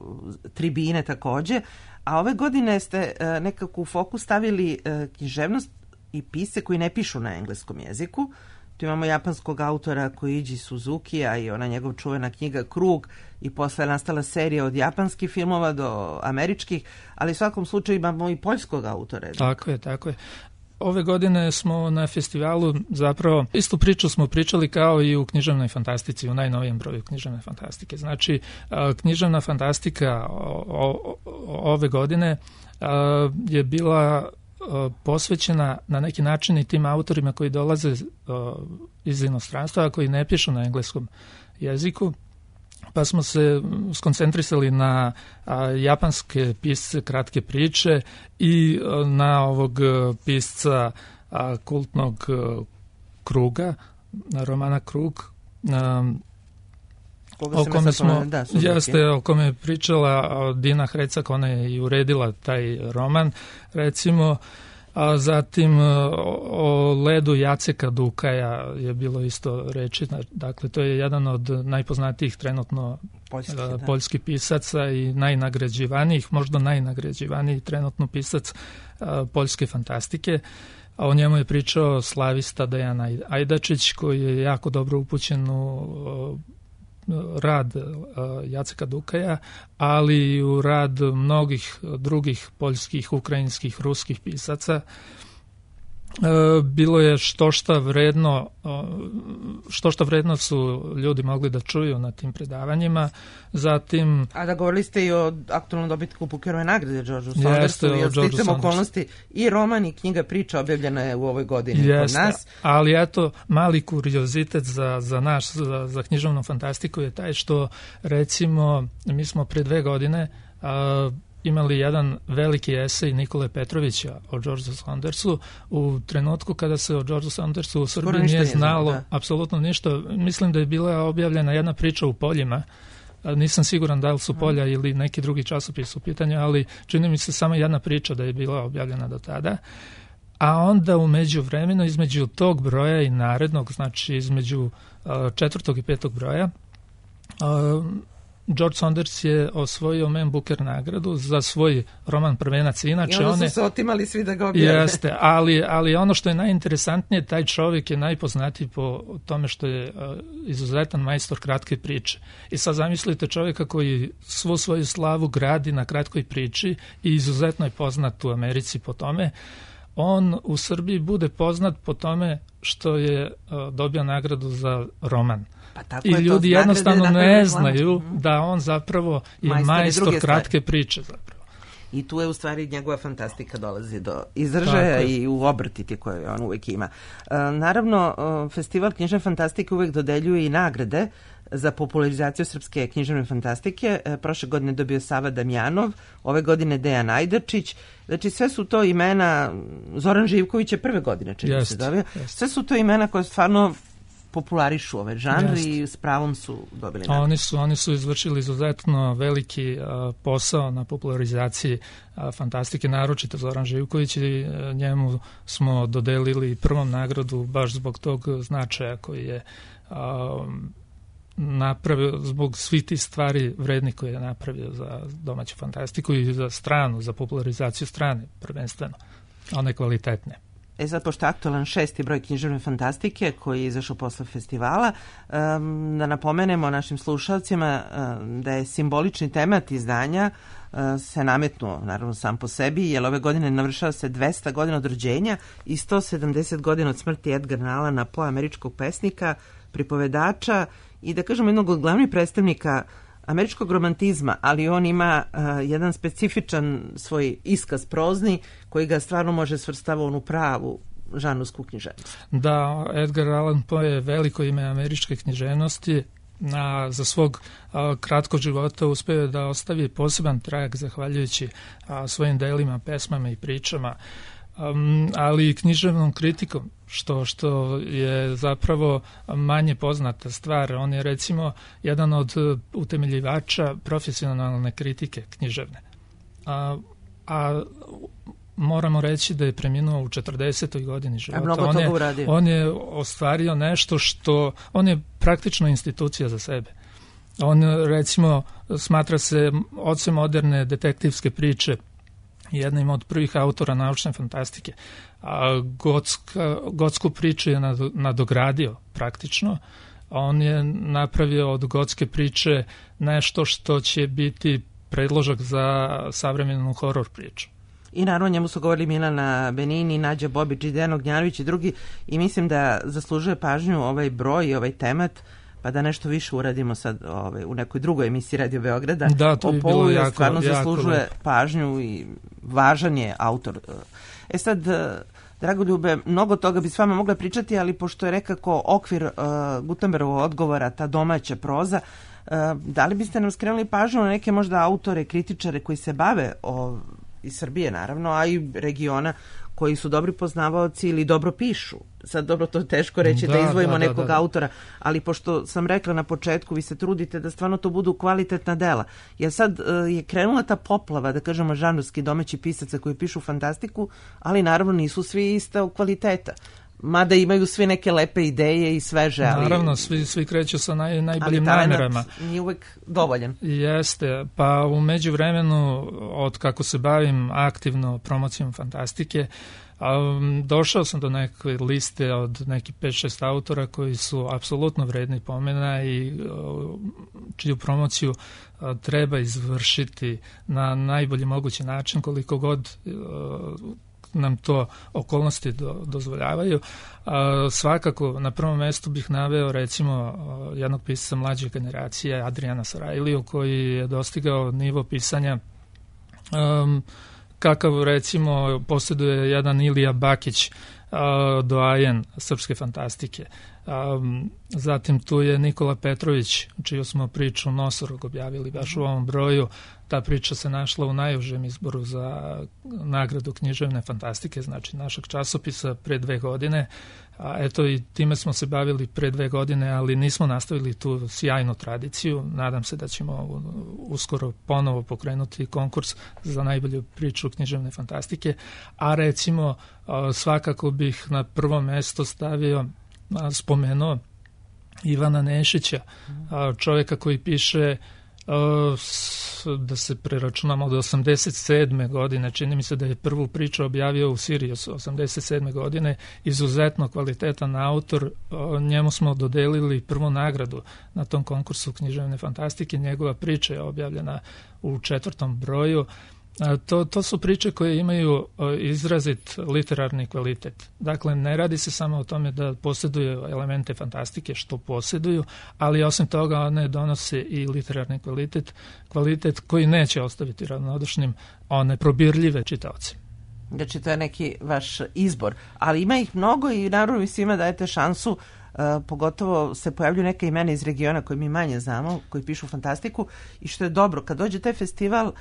tribine takođe, a ove godine ste nekako u fokus stavili književnost i pisce koji ne pišu na engleskom jeziku. Tu imamo japanskog autora Koichi Suzukija i ona njegov čuvena knjiga Krug i posle je nastala serija od japanskih filmova do američkih, ali u svakom slučaju imamo i poljskog autora. Tako je, tako je. Ove godine smo na festivalu zapravo istu priču smo pričali kao i u književnoj fantastici, u najnovijem broju književne fantastike. Znači, književna fantastika o, o, ove godine je bila posvećena na neki način i tim autorima koji dolaze iz inostranstva, a koji ne pišu na engleskom jeziku. Pa smo se skoncentrisali na a, japanske pisce kratke priče i a, na ovog pisca a, kultnog a, Kruga, romana Krug, a, o kome smo, da, jeste, o kome je pričala Dina Hrecak, ona je i uredila taj roman, recimo. A zatim o ledu Jaceka Dukaja je bilo isto reči. Dakle, to je jedan od najpoznatijih trenutno Poljski, da. poljskih pisaca i najnagrađivanijih, možda najnagrađivaniji trenutno pisac a, poljske fantastike. A o njemu je pričao slavista Dejan Ajdačić, koji je jako dobro upućen u rad Jaceka Dukaja, ali i u rad mnogih drugih poljskih, ukrajinskih, ruskih pisaca. Bilo je što šta vredno, što šta vredno su ljudi mogli da čuju na tim predavanjima. Zatim... A da govorili ste i o aktualnom dobitku Pukerove nagrade, Georgeu Saundersu, i od sticam okolnosti i roman i knjiga priča objavljena je u ovoj godini Jeste, kod nas. Ali eto, mali kuriozitet za, za naš, za, za književnu fantastiku je taj što, recimo, mi smo pre dve godine a, imali jedan veliki esej Nikole Petrovića o Georgeu Saundersu u trenutku kada se o Georgeu Saundersu u Srbiji nije znalo da. apsolutno ništa. Mislim da je bila objavljena jedna priča u Poljima. Nisam siguran da li su Polja hmm. ili neki drugi časopis u pitanju, ali čini mi se samo jedna priča da je bila objavljena do tada. A onda u međuvremenu, između tog broja i narednog, znači između uh, četvrtog i petog broja, uh, George Saunders je osvojio Man Booker nagradu za svoj roman Prvenac. Inače, I onda su one, se otimali svi da ga objave. Jeste, ali, ali ono što je najinteresantnije, taj čovjek je najpoznatiji po tome što je uh, izuzetan majstor kratke priče. I sad zamislite čovjeka koji svu svoju slavu gradi na kratkoj priči i izuzetno je poznat u Americi po tome. On u Srbiji bude poznat po tome što je uh, dobio nagradu za roman. Pa tako I je, ljudi jednostavno ne reklama. znaju mm. da on zapravo je majstor, majstor kratke priče zapravo. I tu je u stvari njegova fantastika dolazi do izražaja i u obrtiti koje on uvek ima. Uh, naravno, uh, Festival književne fantastike uvek dodeljuje i nagrade za popularizaciju srpske književne fantastike. Uh, prošle godine dobio Sava Damjanov, ove godine Dejan Ajdačić. Znači sve su to imena, Zoran Živković je prve godine čini se dobio. Sve su to imena koje stvarno popularišu ove žanri i s pravom su dobili nagradu. Oni su, oni su izvršili izuzetno veliki a, posao na popularizaciji a, fantastike, naročito Zoran Živković, i a, njemu smo dodelili prvom nagradu baš zbog tog značaja koji je a, napravio, zbog svih tih stvari vrednih koje je napravio za domaću fantastiku i za stranu, za popularizaciju strane prvenstveno, one kvalitetne. E sad, pošto je aktualan šesti broj književne fantastike koji je izašao posle festivala, um, da napomenemo našim slušalcima um, da je simbolični temat izdanja uh, se nametnuo, naravno sam po sebi, jer ove godine navršava se dvesta godina od rođenja i sto sedamdeset godina od smrti Edgara Allana Poe, američkog pesnika, pripovedača i da kažemo jednog od glavnih predstavnika američkog romantizma, ali on ima uh, jedan specifičan svoj iskaz prozni koji ga stvarno može svrstava onu pravu žanrovsku književnost. Da, Edgar Allan Poe je veliko ime američke književnosti. Na, za svog a, kratkog života uspeo da ostavi poseban trag zahvaljujući a, svojim delima, pesmama i pričama, um, ali i književnom kritikom, što, što je zapravo manje poznata stvar. On je recimo jedan od utemeljivača profesionalne kritike književne. A, a moramo reći da je preminuo u četrdesetoj godini života. A mnogo on toga je, uradio. On je ostvario nešto što... On je praktično institucija za sebe. On, recimo, smatra se ocem moderne detektivske priče, jednim od prvih autora naučne fantastike. A gotska, gotsku priču je nadogradio praktično. On je napravio od gotske priče nešto što će biti predložak za savremenu horor priču. I naravno njemu su govorili Milana Benini, Nađa Bobić i Dejan Ognjanović i drugi, i mislim da zaslužuje pažnju ovaj broj i ovaj temat, pa da nešto više uradimo sad ovaj, u nekoj drugoj emisiji Radio Beograda. Da, to bi bilo jako, stvarno jako zaslužuje lepo. Pažnju i važan je autor. E sad, Dragoljube, mnogo toga bi s vama mogla pričati, ali pošto je nekako okvir uh, Gutenbergovog odgovora, ta domaća proza, uh, da li biste nam skrenuli pažnju na neke možda autore, kritičare koji se bave o, iz Srbije naravno, a i regiona, koji su dobri poznavaoci ili dobro pišu. Sad dobro, to je teško reći da, da izdvojimo da, da, nekog da, da. autora, ali pošto sam rekla na početku, vi se trudite da stvarno to budu kvalitetna dela. Jer sad uh, je krenula ta poplava, da kažemo, žanrovski domaći pisaca koji pišu fantastiku, ali naravno nisu svi ista kvaliteta. Mada imaju svi neke lepe ideje i sveže, ali... Naravno, svi, svi kreću sa naj, najboljim namerama. Ali nije uvek dovoljan. Jeste, pa u međuvremenu, od kako se bavim aktivno promocijom fantastike, um, došao sam do neke liste od nekih pet šest autora koji su apsolutno vredni pomena i uh, čiju promociju uh, treba izvršiti na najbolji mogući način, koliko god uh, nam to okolnosti do, dozvoljavaju. A, svakako, na prvom mestu bih naveo recimo jednog pisca mlađe generacije, Adriana Sarajliju, koji je dostigao nivo pisanja um, kakav recimo posjeduje jedan Ilija Bakić, uh, doajen srpske fantastike. Um, zatim tu je Nikola Petrović, čiju smo priču Nosorog objavili baš u ovom broju. Ta priča se našla u najužem izboru za nagradu književne fantastike, znači našeg časopisa pre dve godine. A eto, i time smo se bavili pre dve godine, ali nismo nastavili tu sjajnu tradiciju. Nadam se da ćemo uskoro ponovo pokrenuti konkurs za najbolju priču književne fantastike. A recimo, svakako bih na prvo mesto stavio, spomenuo Ivana Nešića, čovjeka koji piše, da se preračunamo, od osamdeset sedme godine, čini mi se da je prvu priču objavio u Sirius osamdeset sedme godine, izuzetno kvalitetan autor, njemu smo dodelili prvu nagradu na tom konkursu književne fantastike, njegova priča je objavljena u četvrtom broju. To, to su priče koje imaju izrazit literarni kvalitet. Dakle, ne radi se samo o tome da posjeduju elemente fantastike, što posjeduju, ali osim toga one donose i literarni kvalitet, kvalitet koji neće ostaviti ravnodušnim one probirljive čitaoci. Znači, to je neki vaš izbor, ali ima ih mnogo i naravno vi svima dajete šansu. Uh, pogotovo se pojavljuju neka imena iz regiona koje mi manje znamo, koji pišu fantastiku, i što je dobro, kad dođe taj festival, uh,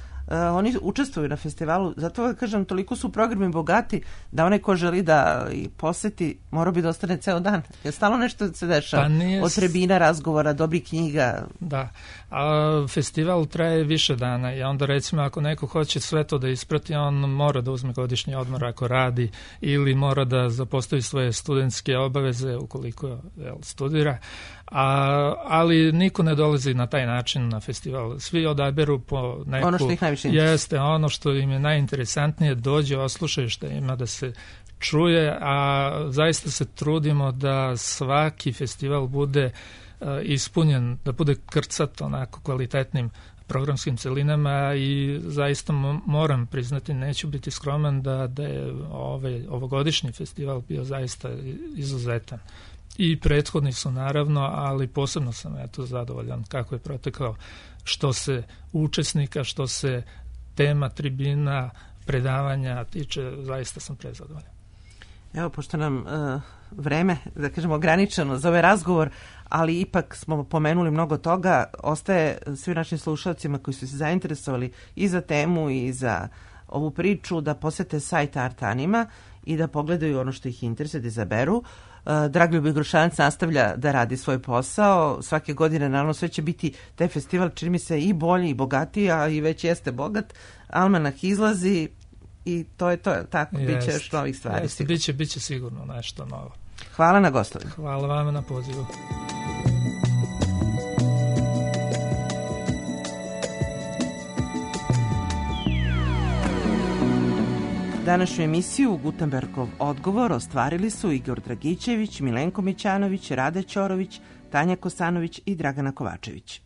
oni učestvuju na festivalu, zato da kažem, toliko su programi bogati da onaj ko želi da i poseti, mora bi da ostane ceo dan, jer stalno nešto se dešava, pa nije... od trebina, razgovora, dobrih knjiga. Da, a festival traje više dana i onda recimo ako neko hoće sve to da isprati, on mora da uzme godišnji odmor ako radi, ili mora da zapostavi svoje studentske obaveze ukoliko jel, studira, a, ali niko ne dolazi na taj način na festival. Svi odaberu po neku... Ono što ih najviše jeste, ono što im je najinteresantnije, dođe, oslušaju što ima da se čuje, a zaista se trudimo da svaki festival bude uh, ispunjen, da bude krcat onako kvalitetnim programskim celinama i zaista moram priznati, neću biti skroman, da, da je ovaj, ovogodišnji festival bio zaista izuzetan. I prethodni su naravno, ali posebno sam eto zadovoljan kako je protekao, što se učesnika, što se tema, tribina, predavanja tiče, zaista sam prezadovoljan. Evo, pošto nam uh, vreme, da kažemo, ograničeno za ovaj razgovor, ali ipak smo pomenuli mnogo toga, ostaje svi našim slušalcima koji su se zainteresovali i za temu i za ovu priču da posete sajt Art Anima i da pogledaju ono što ih interesuje, da izaberu. Dragoljub Grušanac nastavlja da radi svoj posao. Svake godine, naravno, sve će biti taj festival, čini mi se, i bolji i bogatiji, a i već jeste bogat. Almanak izlazi i to je to. Tako, bit će još novih stvari. Jeste, biće, biće sigurno nešto novo. Hvala na gostovanju. Hvala vama na pozivu. Današnju emisiju Gutenbergov odgovor ostvarili su Igor Dragićević, Milenko Mićanović, Rade Ćorović, Tanja Kosanović i Dragana Kovačević.